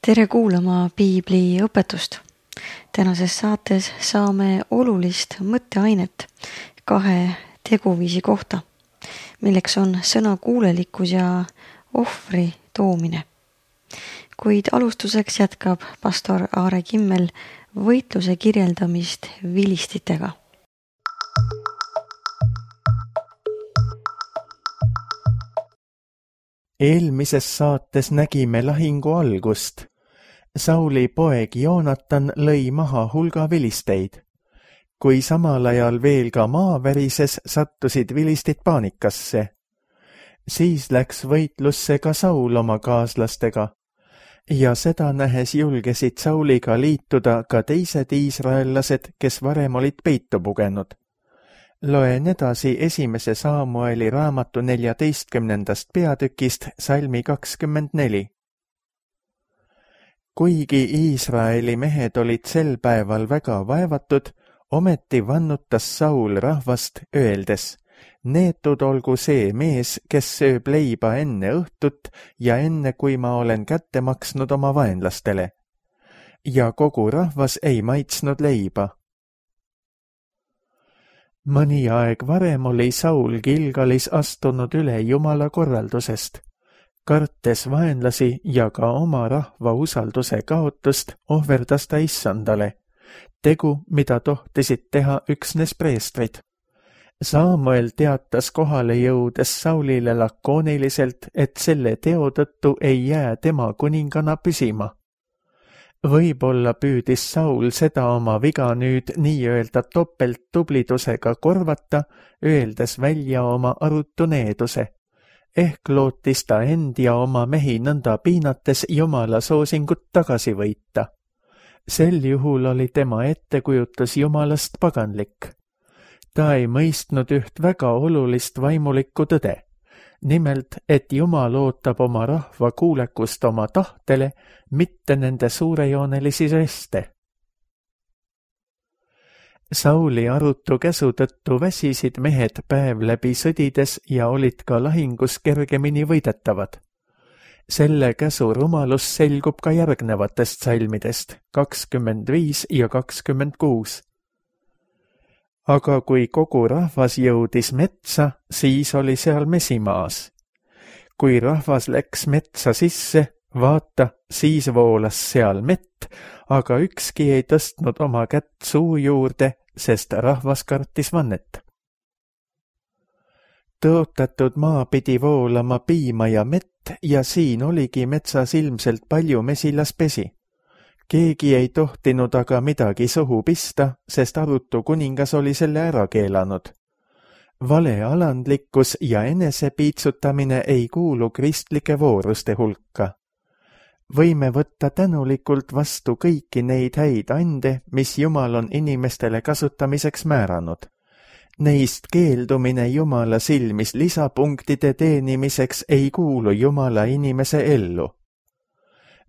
Tere kuulama Piibli õpetust. Tänases saates saame olulist mõtteainet 2 teguviisi kohta, milleks on sõnakuulelikkus ja ohvri toomine. Kuid alustuseks jätkab pastor Aare Kimmel võitluse kirjeldamist vilistitega. Eelmises saates nägime lahingu algust. Sauli poeg Joonatan lõi maha hulga vilisteid. Kui samal ajal veel ka maa värises, sattusid vilistid paanikasse. Siis läks võitlusse ka Saul oma kaaslastega. Ja seda nähes julgesid Sauliga liituda ka teised iisraellased, kes varem olid peitu pugenud. Loen edasi 1. Saamueli raamatu 14. peatükist salmi 24. Kuigi Iisraeli mehed olid sel päeval väga vaevatud, ometi vannutas Saul rahvast öeldes: neetud olgu see mees, kes sööb leiba enne õhtut ja enne, kui ma olen kätte maksnud oma vaenlastele. Ja kogu rahvas ei maitsnud leiba. Mõni aeg varem oli Saul Gilgalis astunud üle Jumala korraldusest. Kartes vaenlasi ja ka oma rahva usalduse kaotust ohverdas ta Issandale, tegu, mida tohtisid teha üksnes preestrid. Samuel teatas kohale jõudes Saulile lakooniliselt, et selle teo tõttu ei jää tema kuningana püsima. Võib-olla püüdis Saul seda oma viga nüüd nii-öelda topelttublidusega korvata, öeldes välja oma arutu needuse. Ehk lootis ta end ja oma mehi nõnda piinates Jumala soosingut tagasi võita. Sel juhul oli tema ettekujutus Jumalast paganlik. Ta ei mõistnud üht väga olulist vaimulikku tõde. Nimelt, et Jumal ootab oma rahva kuulekust oma tahtele, mitte nende suurejoonelisi žeste. Sauli arutu käsu tõttu väsisid mehed päev läbi sõdides ja olid ka lahingus kergemini võidetavad. Selle käsu rumalus selgub ka järgnevatest salmidest 25 ja 26. Aga kui kogu rahvas jõudis metsa, siis oli seal mesimaas. Kui rahvas läks metsa sisse, vaata, siis voolas seal mett, aga ükski ei tõstnud oma kätt suu juurde, sest rahvas kartis vannet. Tõotatud maa pidi voolama piima ja mett ja siin oligi metsas ilmselt palju mesilaspesi. Keegi ei tohtinud aga midagi suhu pista, sest arutu kuningas oli selle ära keelanud. Valealandlikkus ja enesepiitsutamine ei kuulu kristlike vooruste hulka. Võime võtta tänulikult vastu kõiki neid häid ande, mis Jumal on inimestele kasutamiseks määranud. Neist keeldumine Jumala silmis lisapunktide teenimiseks ei kuulu Jumala inimese ellu.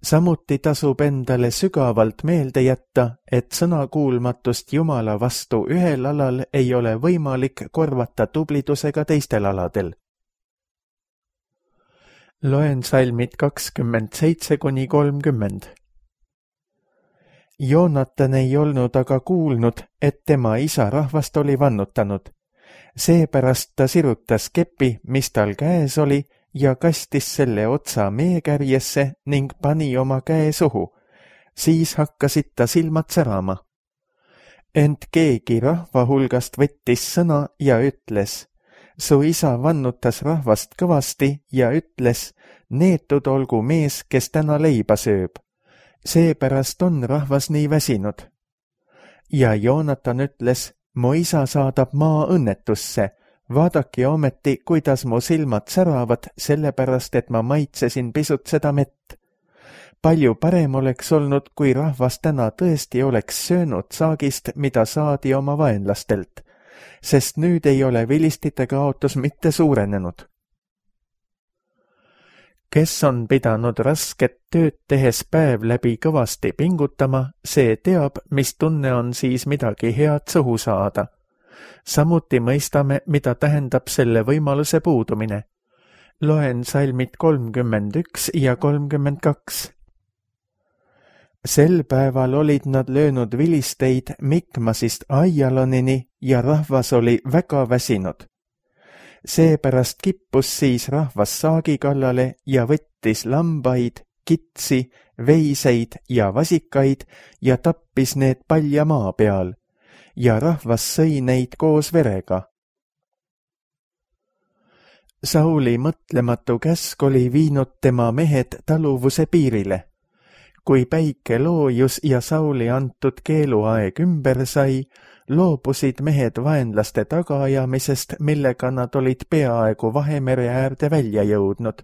Samuti tasub endale sügavalt meelde jätta, et sõnakuulmatust Jumala vastu ühel alal ei ole võimalik korvata tublidusega teistel aladel. Loen salmid 27–30. Joonatan ei olnud aga kuulnud, et tema isa rahvast oli vannutanud. Seepärast ta sirutas kepi, mis tal käes oli, ja kastis selle otsa meekärjesse ning pani oma käe suhu. Siis hakkasid ta silmad särama. Ent keegi rahva hulgast võttis sõna ja ütles: su isa vannutas rahvast kõvasti ja ütles: neetud olgu mees, kes täna leiba sööb. Seepärast on rahvas nii väsinud. Ja Joonatan ütles: mu isa saadab maa õnnetusse. Vaadake ometi, kuidas mu silmad säravad, sellepärast, et ma maitsesin pisut seda mett. Palju parem oleks olnud, kui rahvas täna tõesti oleks söönud saagist, mida saadi oma vaenlastelt, sest nüüd ei ole vilistite kaotus mitte suurenenud. Kes on pidanud rasket tööd tehes päev läbi kõvasti pingutama, see teab, mis tunne on siis midagi head suhu saada. Samuti mõistame, mida tähendab selle võimaluse puudumine. Loen salmid 31 ja 32. Sel päeval olid nad löönud vilisteid Mikmasist Aijalonini ja rahvas oli väga väsinud. Seepärast kippus siis rahvas saagi kallale ja võttis lambaid, kitsi, veiseid ja vasikaid ja tappis need palja maa peal ja rahvas sõi neid koos verega. Sauli mõtlematu käsk oli viinud tema mehed taluvuse piirile. Kui päike loojus ja Sauli antud keeluaeg ümber sai, loobusid mehed vaenlaste tagaajamisest, millega nad olid peaaegu Vahemere äärde välja jõudnud.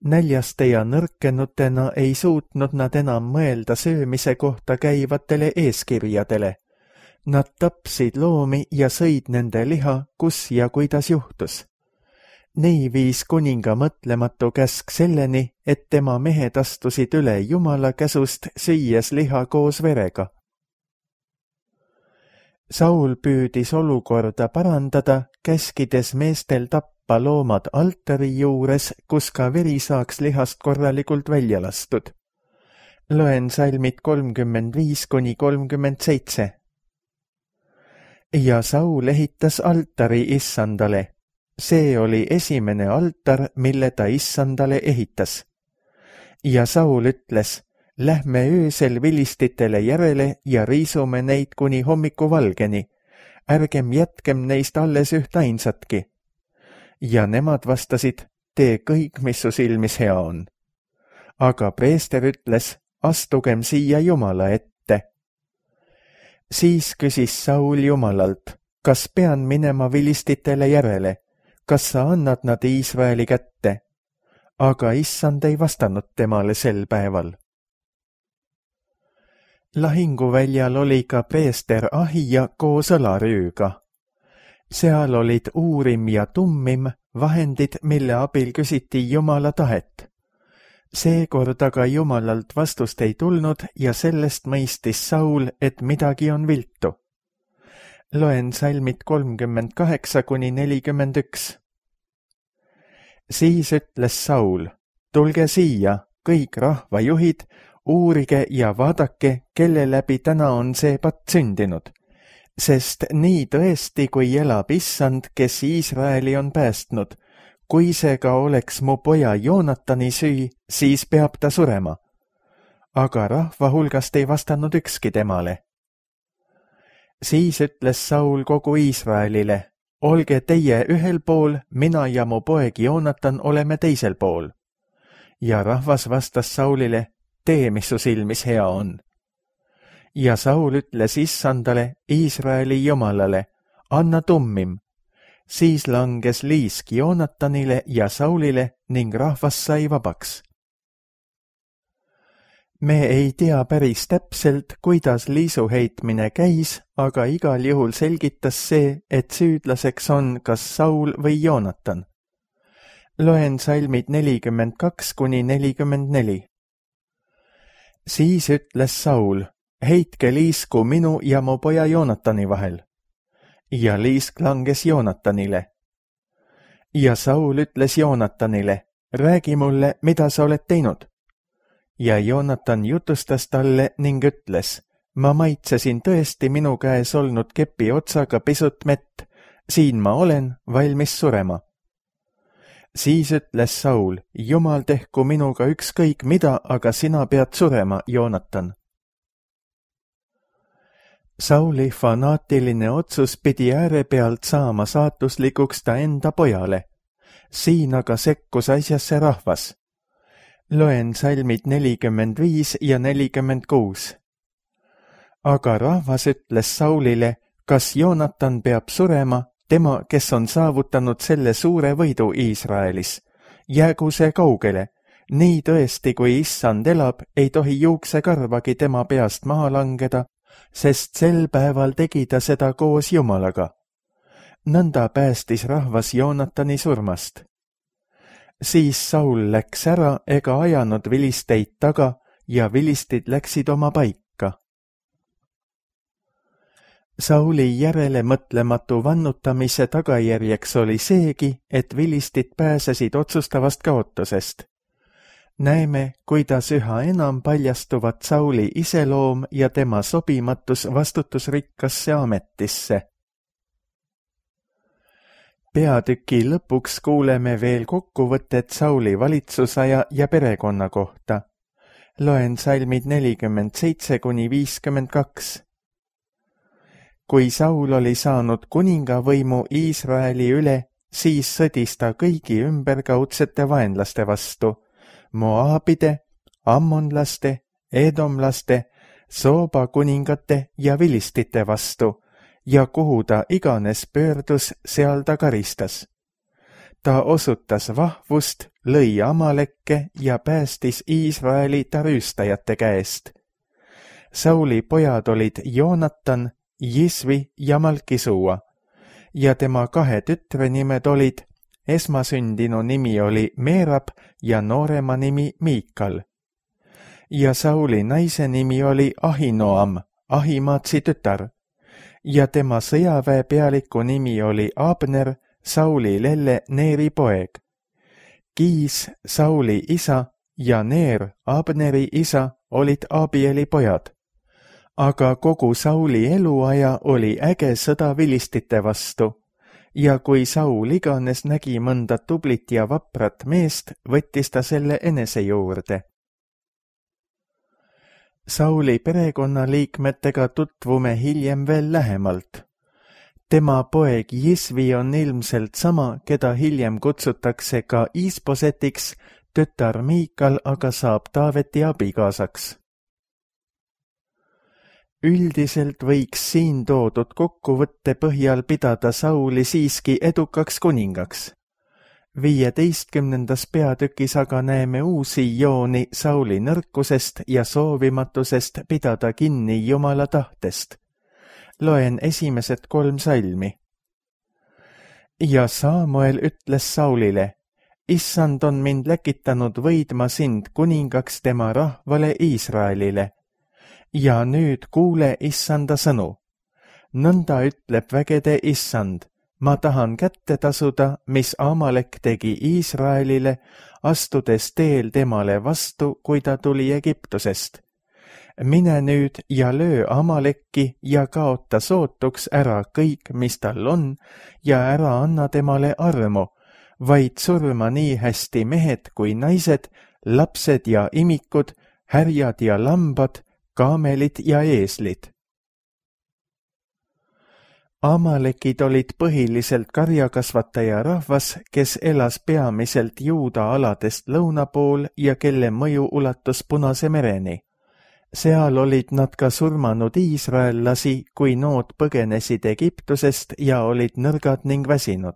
Näljaste ja nõrkenutena ei suutnud nad enam mõelda söömise kohta käivatele eeskirjadele. Nad tapsid loomi ja sõid nende liha, kus ja kuidas juhtus. Nii viis kuninga mõtlematu käsk selleni, et tema mehed astusid üle Jumala käsust, süües liha koos verega. Saul püüdis olukorda parandada, käskides meestel tappa loomad altari juures, kus ka veri saaks lihast korralikult välja lastud. Loen salmid 35–37. Ja Saul ehitas altari Issandale. See oli esimene altar, mille ta Issandale ehitas. Ja Saul ütles, lähme öösel vilistitele järele ja riisume neid kuni hommikuvalgeni. Ärgem jätkem neist alles ühtainsatki. Ja nemad vastasid, tee kõik, mis su silmis hea on. Aga preester ütles, astugem siia Jumala ette. Siis küsis Saul Jumalalt, kas pean minema vilistitele järele? Kas sa annad nad Iisraeli kätte? Aga Issand ei vastanud temale sel päeval. Lahinguväljal oli ka preester Ahija koos õlarüüga. Seal olid Uurim ja Tummim, vahendid, mille abil küsiti Jumala tahet. Seekord aga Jumalalt vastust ei tulnud ja sellest mõistis Saul, et midagi on viltu. Loen salmid 38–41. Siis ütles Saul, tulge siia, kõik rahvajuhid, uurige ja vaadake, kelle läbi täna on see patt sündinud. Sest nii tõesti, kui elab Issand, kes Iisraeli on päästnud, kui see ka oleks mu poja Joonatani süü, siis peab ta surema. Aga rahva hulgast ei vastanud ükski temale. Siis ütles Saul kogu Iisraelile, olge teie ühel pool, mina ja mu poeg Joonatan oleme teisel pool. Ja rahvas vastas Saulile, tee, mis su silmis hea on. Ja Saul ütles Issandale, Iisraeli Jumalale, anna Tummim. Siis langes liisk Joonatanile ja Saulile ning rahvas sai vabaks. Me ei tea päris täpselt, kuidas liisuheitmine käis, aga igal juhul selgitas see, et süüdlaseks on kas Saul või Joonatan. Loen salmid 42–44. Siis ütles Saul, heitke liisku minu ja mu poja Joonatani vahel. Ja liisk langes Joonatanile. Ja Saul ütles Joonatanile, räägi mulle, mida sa oled teinud. Ja Joonatan jutustas talle ning ütles, ma maitsesin tõesti minu käes olnud kepi otsaga pisut mett, siin ma olen, valmis surema. Siis ütles Saul, Jumal tehku minuga ükskõik mida, aga sina pead surema, Joonatan. Sauli fanaatiline otsus pidi äärepealt saama saatuslikuks ta enda pojale. Siin aga sekkus asjasse rahvas. Loen salmid 45 ja 46. Aga rahvas ütles Saulile, kas Joonatan peab surema, tema, kes on saavutanud selle suure võidu Iisraelis. Jäägu see kaugele. Nii tõesti, kui Issand elab, ei tohi juuksekarvagi tema peast maha langeda, sest sel päeval tegi ta seda koos Jumalaga. Nõnda päästis rahvas Joonatani surmast. Siis Saul läks ära ega ajanud vilisteid taga ja vilistid läksid oma paika. Sauli järele mõtlematu vannutamise tagajärjeks oli seegi, et vilistid pääsesid otsustavast kaotusest. näeme, kuidas üha enam paljastuvad Sauli iseloom ja tema sobimatus vastutusrikkasse ametisse. Peatüki lõpuks kuuleme veel kokkuvõtet Sauli valitsusaja ja perekonna kohta. Loen salmid 47–52. Kui Saul oli saanud kuningavõimu Iisraeli üle, siis sõdis ta kõigi ümberkaudsete vaenlaste vastu, Moaabide, ammonlaste, edomlaste, Sooba kuningate ja vilistite vastu, ja kuhu ta iganes pöördus, seal ta karistas. Ta osutas vahvust, lõi Amalekke ja päästis Iisraeli ta rüüstajate käest. Sauli pojad olid Joonatan, Jisvi ja Malkisua ja tema 2 tütre nimed olid, esmasündinu nimi oli Meerab ja noorema nimi Miikal. Ja Sauli naise nimi oli Ahinoam, Ahimaatsi tütar, ja tema sõjaväe pealiku nimi oli Abner, Sauli lelle Neeri poeg. Kiis, Sauli isa, ja Neer, Abneri isa, olid Abieli pojad. Aga kogu Sauli eluaja oli äge sõda vilistite vastu, ja kui Saul iganes nägi mõnda tublit ja vaprat meest, võttis ta selle enese juurde. Sauli perekonnaliikmetega tutvume hiljem veel lähemalt. Tema poeg Jisvi on ilmselt sama, keda hiljem kutsutakse ka Iisbosetiks, tütar Miikal aga saab Taaveti abikaasaks. Üldiselt võiks siin toodud kokkuvõtte põhjal pidada Sauli siiski edukaks kuningaks. 15. peatükis aga näeme uusi jooni Sauli nõrkusest ja soovimatusest pidada kinni Jumala tahtest. Loen esimesed 3 salmi. Ja Saamuel ütles Saulile, Issand on mind läkitanud võidma sind kuningaks tema rahvale Iisraelile. Ja nüüd kuule Issanda sõnu. Nõnda ütleb vägede Issand, ma tahan kätte tasuda, mis Amalek tegi Iisraelile, astudes teel temale vastu, kui ta tuli Egiptusest. Mine nüüd ja löö Amalekki ja kaota sootuks ära kõik, mis tal on, ja ära anna temale armu, vaid surma nii hästi mehed kui naised, lapsed ja imikud, härjad ja lambad, kaamelid ja eeslid. Amalekid olid põhiliselt karjakasvataja rahvas, kes elas peamiselt Juuda aladest lõuna pool ja kelle mõju ulatus Punase mereni. Seal olid nad ka surmanud iisraellasi, kui nood põgenesid Egiptusest ja olid nõrgad ning väsinud.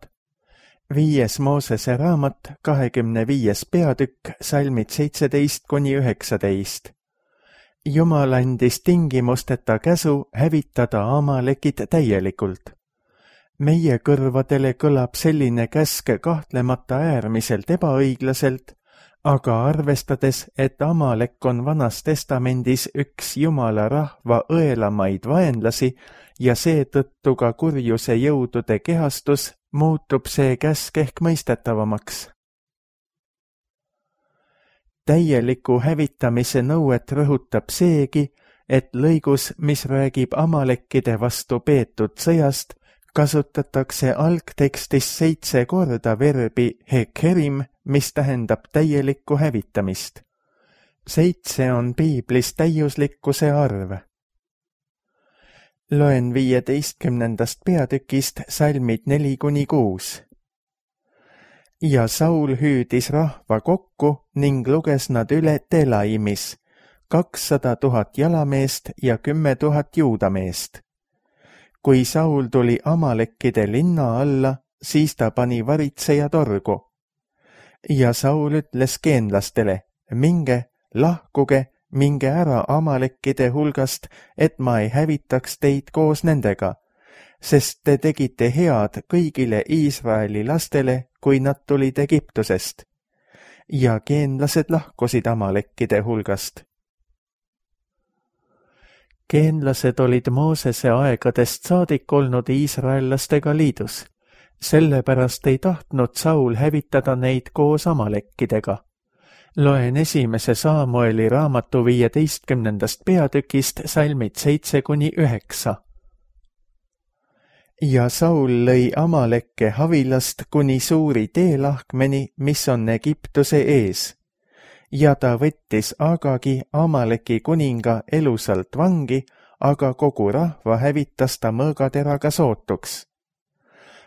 5. Moosese raamat, 25. peatükk, salmid 17–19. Jumal andis tingimusteta käsu hävitada Amalekid täielikult. Meie kõrvadele kõlab selline käsk kahtlemata äärmiselt ebaõiglaselt, aga arvestades, et Amalek on Vanas Testamendis üks Jumala rahva õelamaid vaenlasi ja seetõttu ka kurjuse jõudude kehastus, muutub see käsk ehk mõistetavamaks. Täieliku hävitamise nõuet rõhutab seegi, et lõigus, mis räägib Amalekkide vastu peetud sõjast, kasutatakse algtekstis 7 korda verbi hekerim, mis tähendab täielikku hävitamist. 7 on piiblis täiuslikkuse arv. Loen 15. peatükist salmid 4–6. Ja Saul hüüdis rahva kokku ning luges nad üle Telaimis, 200 000 jalameest ja 10 000 juudameest. Kui Saul tuli Amalekkide linna alla, siis ta pani varitseja torgu. Ja Saul ütles geenlastele, minge, lahkuge, minge ära Amalekkide hulgast, et ma ei hävitaks teid koos nendega, sest te tegite head kõigile Iisraeli lastele, kui nad tulid Egiptusest. Ja geenlased lahkusid Amalekkide hulgast. Geenlased olid Moosese aegadest saadik olnud iisraellastega liidus. Sellepärast ei tahtnud Saul hävitada neid koos Amalekkidega. Loen esimese Saamueli raamatu 15. peatükist salmid 7-9. Ja Saul lõi Amalekke Havilast kuni suuri teelahkmeni, mis on Egiptuse ees. Ja ta võttis Agagi, Amaleki kuninga, elusalt vangi, aga kogu rahva hävitas ta mõõgateraga sootuks.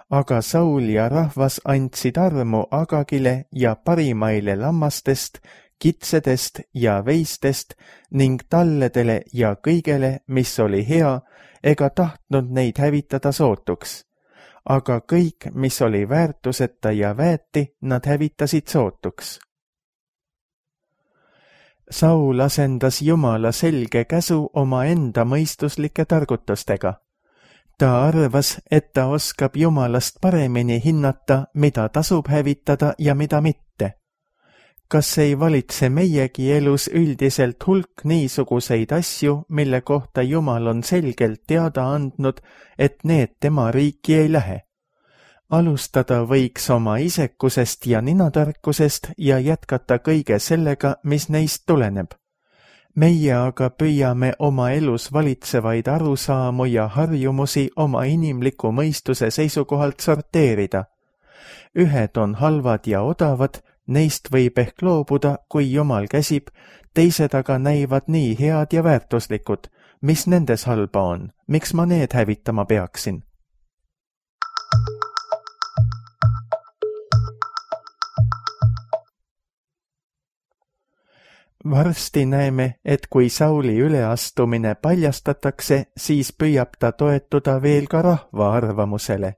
Aga Saul ja rahvas andsid armu Agagile ja parimaile lammastest, kitsedest ja veistest ning talledele ja kõigele, mis oli hea, ega tahtnud neid hävitada sootuks. Aga kõik, mis oli väärtuseta ja väeti, nad hävitasid sootuks. Saul asendas Jumala selge käsu omaenda mõistuslike targutustega. Ta arvas, et ta oskab Jumalast paremini hinnata, mida tasub hävitada ja mida mitte. Kas ei valitse meiegi elus üldiselt hulk niisuguseid asju, mille kohta Jumal on selgelt teada andnud, et need tema riiki ei lähe? Alustada võiks oma isekusest ja ninatarkusest ja jätkata kõige sellega, mis neist tuleneb. Meie aga püüame oma elus valitsevaid arusaamu ja harjumusi oma inimliku mõistuse seisukohalt sorteerida. Ühed on halvad ja odavad, neist võib ehk loobuda, kui Jumal käsib, teised aga näivad nii head ja väärtuslikud. Mis nendes halba on? Miks ma need hävitama peaksin? Varsti näeme, et kui Sauli üleastumine paljastatakse, siis püüab ta toetuda veel ka rahva arvamusele.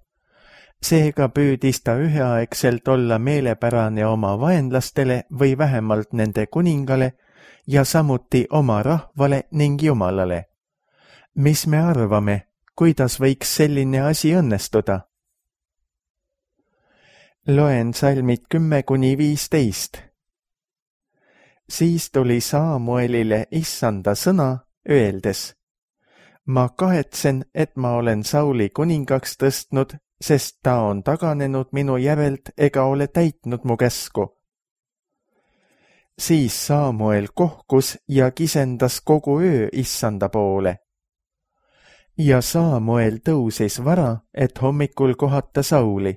Seega püüdis ta üheaegselt olla meelepärane oma vaenlastele või vähemalt nende kuningale ja samuti oma rahvale ning Jumalale. Mis me arvame, kuidas võiks selline asi õnnestuda? Loen salmid 10-15. Siis tuli Saamuelile Issanda sõna, öeldes: Ma kahetsen, et ma olen Sauli kuningaks tõstnud, sest ta on taganenud minu järelt ega ole täitnud mu käsku. Siis Saamuel kohkus ja kisendas kogu öö Issanda poole. Ja Saamuel tõusis vara, et hommikul kohata Sauli.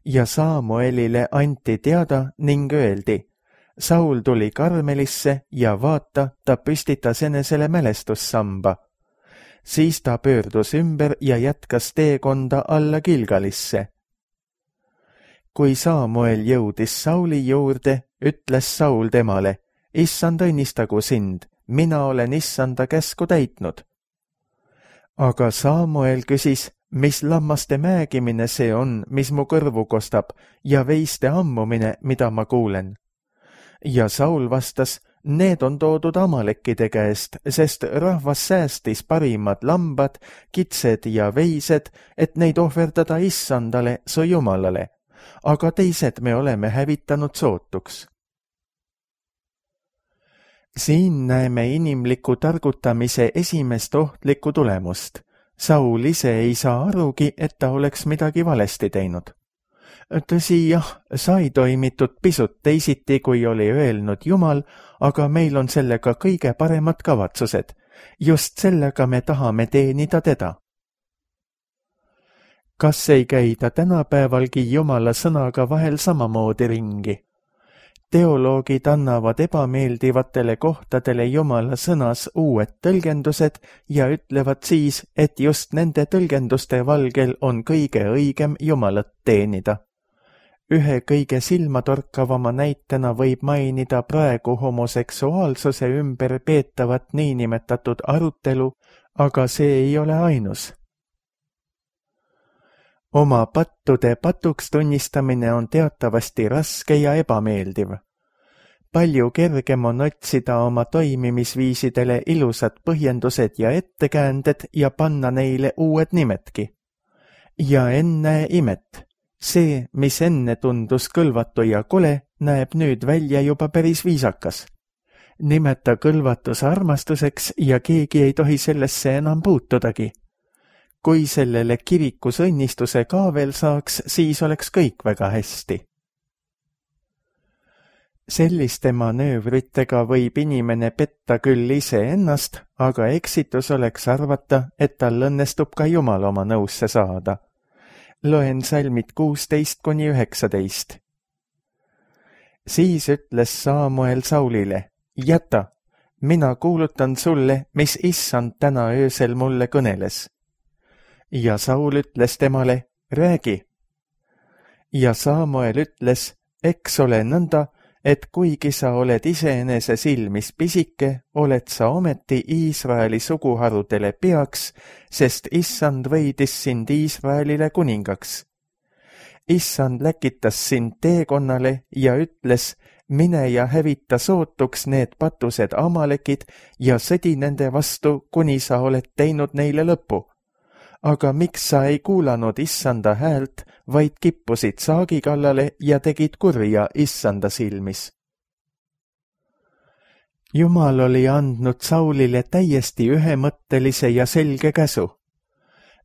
Ja Saamuelile anti teada ning öeldi: Saul tuli Karmelisse ja vaata, ta püstitas enesele mälestussamba. Siis ta pöördus ümber ja jätkas teekonda alla Gilgalisse. Kui Saamuel jõudis Sauli juurde, ütles Saul temale: Issand õnnistagu sind, mina olen Issanda käsku täitnud. Aga Saamuel küsis: Mis lammaste määgimine see on, mis mu kõrvu kostab, ja veiste ammumine, mida ma kuulen? Ja Saul vastas: Need on toodud Amalekkide käest, sest rahvas säästis parimad lambad, kitsed ja veised, et neid ohverdada Issandale, su Jumalale. Aga teised me oleme hävitanud sootuks. Siin näeme inimliku targutamise esimest ohtlikku tulemust. Saul ise ei saa arugi, et ta oleks midagi valesti teinud. Tõsi, jah, sai toimitud pisut teisiti, kui oli öelnud Jumal, aga meil on sellega kõige paremad kavatsused. Just sellega me tahame teenida teda. Kas ei käida tänapäevalgi Jumala sõnaga vahel samamoodi ringi? Teoloogid annavad ebameeldivatele kohtadele Jumala sõnas uued tõlgendused ja ütlevad siis, et just nende tõlgenduste valgel on kõige õigem Jumalat teenida. Ühe kõige silmatorkavama näitena võib mainida praegu homoseksuaalsuse ümber peetavat niinimetatud arutelu, aga see ei ole ainus. Oma pattude patuks tunnistamine on teatavasti raske ja ebameeldiv. Palju kergem on otsida oma toimimisviisidele ilusad põhjendused ja ettekäänded ja panna neile uued nimedki. Ja ennäe imet! See, mis enne tundus kõlvatu ja kole, näeb nüüd välja juba päris viisakas. Nimeta kõlvatus armastuseks ja keegi ei tohi sellesse enam puutudagi. Kui sellele kirikus õnnistuse ka veel saaks, siis oleks kõik väga hästi. Selliste manöövritega võib inimene petta küll iseennast, aga eksitus oleks arvata, et tal õnnestub ka Jumal oma nõusse saada. Loen salmid 16–19. Siis ütles Saamuel Saulile, jäta, mina kuulutan sulle, mis issand täna öösel mulle kõneles. Ja Saul ütles temale, räägi. Ja Saamuel ütles, eks ole nõnda, et kuigi sa oled iseenese silmis pisike, oled sa ometi Iisraeli suguharudele peaks, sest issand võidis sind Iisraelile kuningaks. Issand läkitas sind teekonnale ja ütles, mine ja hävita sootuks need patused amalekid ja sõdi nende vastu, kuni sa oled teinud neile lõpu. Aga miks sa ei kuulanud issanda häält, vaid kippusid saagi kallale ja tegid kurja issanda silmis? Jumal oli andnud Saulile täiesti ühemõttelise ja selge käsu.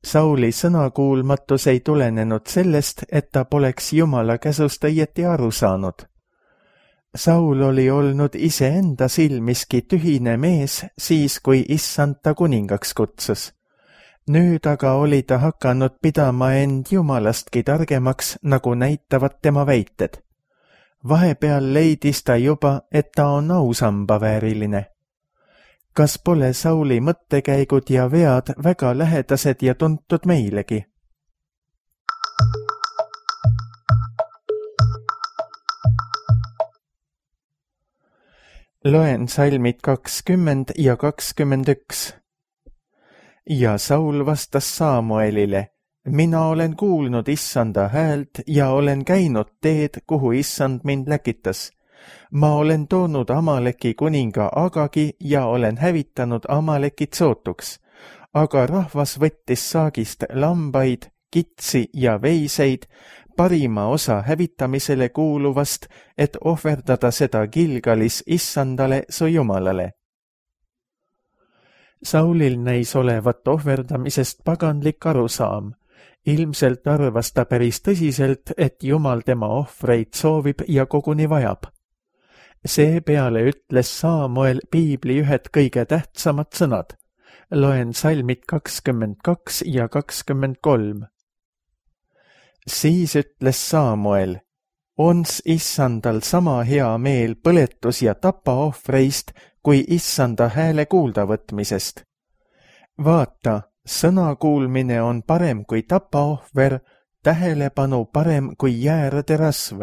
Sauli sõnakuulmatus ei tulenenud sellest, et ta poleks Jumala käsust õieti aru saanud. Saul oli olnud iseenda silmiski tühine mees siis, kui issand ta kuningaks kutsus. Nüüd aga oli ta hakanud pidama end Jumalastki targemaks, nagu näitavad tema väited. Vahepeal leidis ta juba, et ta on ausamba vääriline. Kas pole Sauli mõttekäigud ja vead väga lähedased ja tuntud meilegi? Loen salmid 20 ja 21. Ja Saul vastas Saamuelile, mina olen kuulnud issanda häält ja olen käinud teed, kuhu issand mind läkitas. Ma olen toonud Amaleki kuninga Agagi ja olen hävitanud Amalekid sootuks, aga rahvas võttis saagist lambaid, kitsi ja veiseid, parima osa hävitamisele kuuluvast, et ohverdada seda Gilgalis issandale su Jumalale. Saulil näis olevat ohverdamisest paganlik arusaam. Ilmselt arvas ta päris tõsiselt, et Jumal tema ohvreid soovib ja koguni vajab. Seepeale ütles Saamuel piibli ühed kõige tähtsamad sõnad. Loen salmid 22 ja 23. Siis ütles Saamuel, ons issandal sama hea meel põletus- ja tapaohvreist, kui issanda hääle kuuldavõtmisest. Vaata, sõna kuulmine on parem kui tapaohver, tähelepanu parem kui jäärade rasv.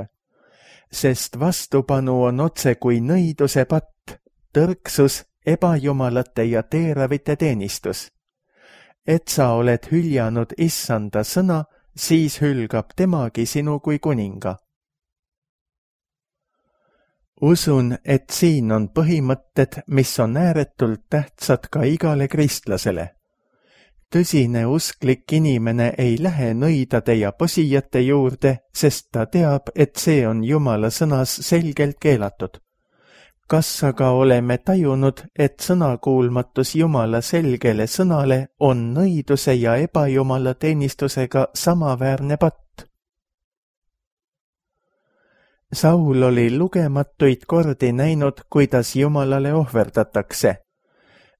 Sest vastupanu on otse kui nõiduse patt, tõrksus, ebajumalate ja teeravite teenistus. Et sa oled hüljanud issanda sõna, siis hülgab temagi sinu kui kuninga. Usun, et siin on põhimõtted, mis on ääretult tähtsad ka igale kristlasele. Tõsine usklik inimene ei lähe nõidade ja posijate juurde, sest ta teab, et see on Jumala sõnas selgelt keelatud. Kas aga oleme tajunud, et sõnakuulmatus Jumala selgele sõnale on nõiduse ja ebajumala teenistusega samaväärne patt? Saul oli lugematuid kordi näinud, kuidas Jumalale ohverdatakse.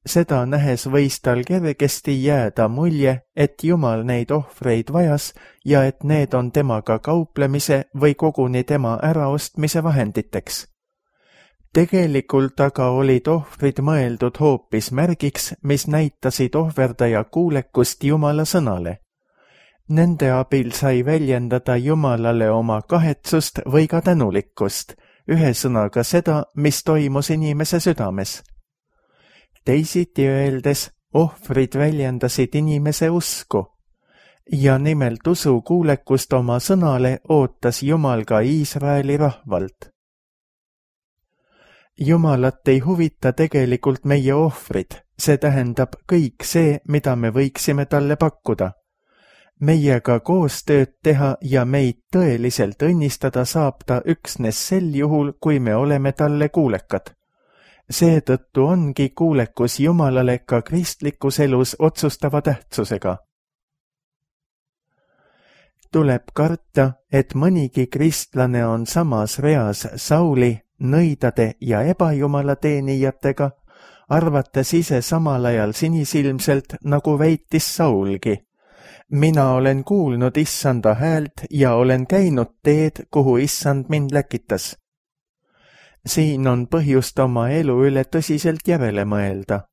Seda nähes võis tal kergesti jääda mulje, et Jumal neid ohvreid vajas ja et need on temaga kauplemise või koguni tema äraostmise vahenditeks. Tegelikult aga olid ohvrid mõeldud hoopis märgiks, mis näitasid ohverdaja kuulekust Jumala sõnale. Nende abil sai väljendada Jumalale oma kahetsust või ka tänulikkust, ühesõnaga seda, mis toimus inimese südames. Teisiti öeldes, ohvrid väljendasid inimese usku. Ja nimelt usu kuulekust oma sõnale ootas Jumal ka Iisraeli rahvalt. Jumalat ei huvita tegelikult meie ohvrid, see tähendab kõik see, mida me võiksime talle pakkuda. Meiega koostööd teha ja meid tõeliselt õnnistada saab ta üksnes sel juhul, kui me oleme talle kuulekad. Seetõttu ongi kuulekus Jumalale ka kristlikus elus otsustava tähtsusega. Tuleb karta, et mõnigi kristlane on samas reas Sauli, nõidade ja ebajumala teenijatega, arvates ise samal ajal sinisilmselt, nagu väitis Saulgi. Mina olen kuulnud issanda häält ja olen käinud teed, kuhu issand mind läkitas. Siin on põhjust oma elu üle tõsiselt järele mõelda.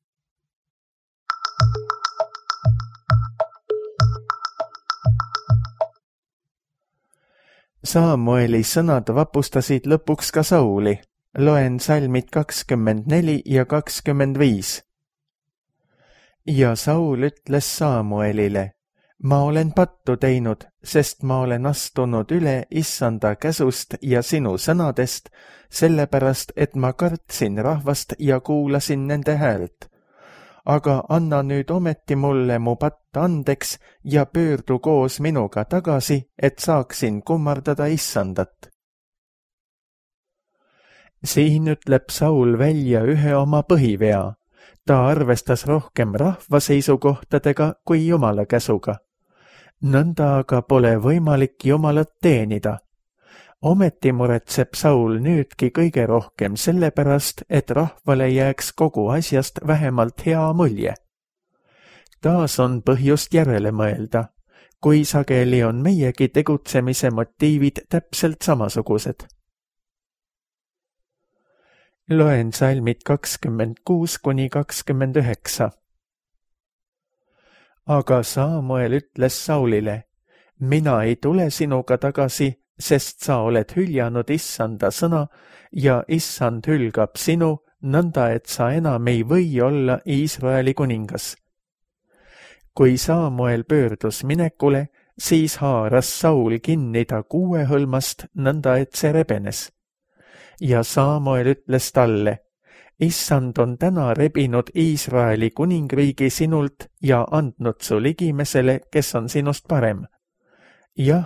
Samueli sõnad vapustasid lõpuks ka Sauli. Loen salmid 24 ja 25. Ja Saul ütles Samuelile, ma olen pattu teinud, sest ma olen astunud üle issanda käsust ja sinu sõnadest, sellepärast, et ma kartsin rahvast ja kuulasin nende häält. Aga anna nüüd ometi mulle mu patt andeks ja pöördu koos minuga tagasi, et saaksin kummardada issandat. Siin ütleb Saul välja ühe oma põhivea. Ta arvestas rohkem rahva seisukohtadega kui Jumala käsuga. Nõnda aga pole võimalik Jumalat teenida. Ometi muretseb Saul nüüdki kõige rohkem sellepärast, et rahvale jääks kogu asjast vähemalt hea mulje. Taas on põhjust järele mõelda, kui sageli on meiegi tegutsemise motiivid täpselt samasugused. Loen salmid 26 kuni 29. Aga Samuel ütles Saulile, mina ei tule sinuga tagasi, sest sa oled hüljanud issanda sõna ja issand hülgab sinu, nõnda et sa enam ei või olla Iisraeli kuningas. Kui Samuel pöördus minekule, siis haaras Saul kinni ta kuuehõlmast, nõnda et see rebenes. Ja Samuel ütles talle, issand on täna rebinud Iisraeli kuningriigi sinult ja andnud su ligimesele, kes on sinust parem. Jah,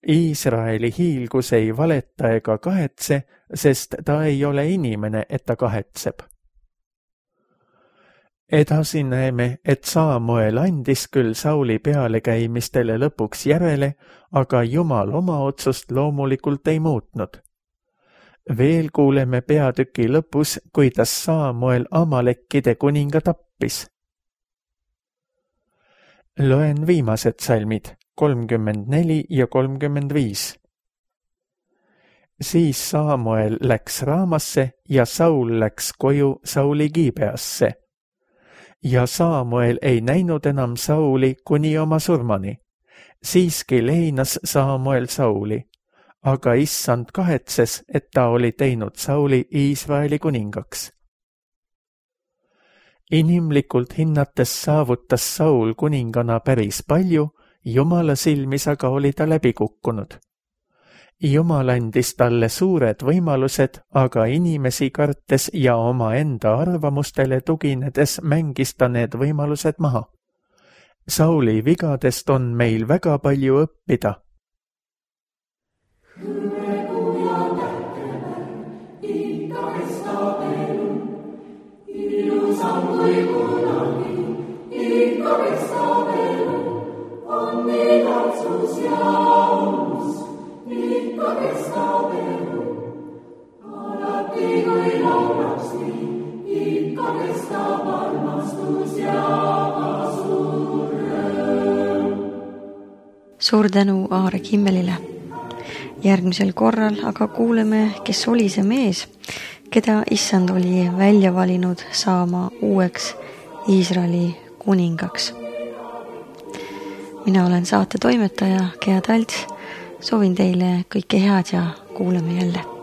Iisraeli hiilgus ei valeta ega kahetse, sest ta ei ole inimene, et ta kahetseb. Edasi näeme, et Samuel andis küll Sauli pealekäimistele lõpuks järele, aga Jumal oma otsust loomulikult ei muutnud. Veel kuuleme peatüki lõpus, kuidas Samuel Amalekkide kuninga tappis. Loen viimased salmid 34 ja 35. Siis Samuel läks Raamasse ja Saul läks koju Sauli Gibeasse. Ja Samuel ei näinud enam Sauli kuni oma surmani. Siiski leinas Samuel Sauli, aga issand kahetses, et ta oli teinud Sauli Iisraeli kuningaks. Inimlikult hinnates saavutas Saul kuningana päris palju, Jumala silmis aga oli ta läbi kukkunud. Jumal andis talle suured võimalused, aga inimesi kartes ja omaenda arvamustele tuginedes mängis ta need võimalused maha. Sauli vigadest on meil väga palju õppida. Suur tänu Aare Kimmelile. Järgmisel korral aga kuuleme, kes oli see mees, keda issand oli välja valinud saama uueks Iisraeli kuningaks. Mina olen saate toimetaja Gea Talts. Soovin teile kõike head ja kuuleme jälle.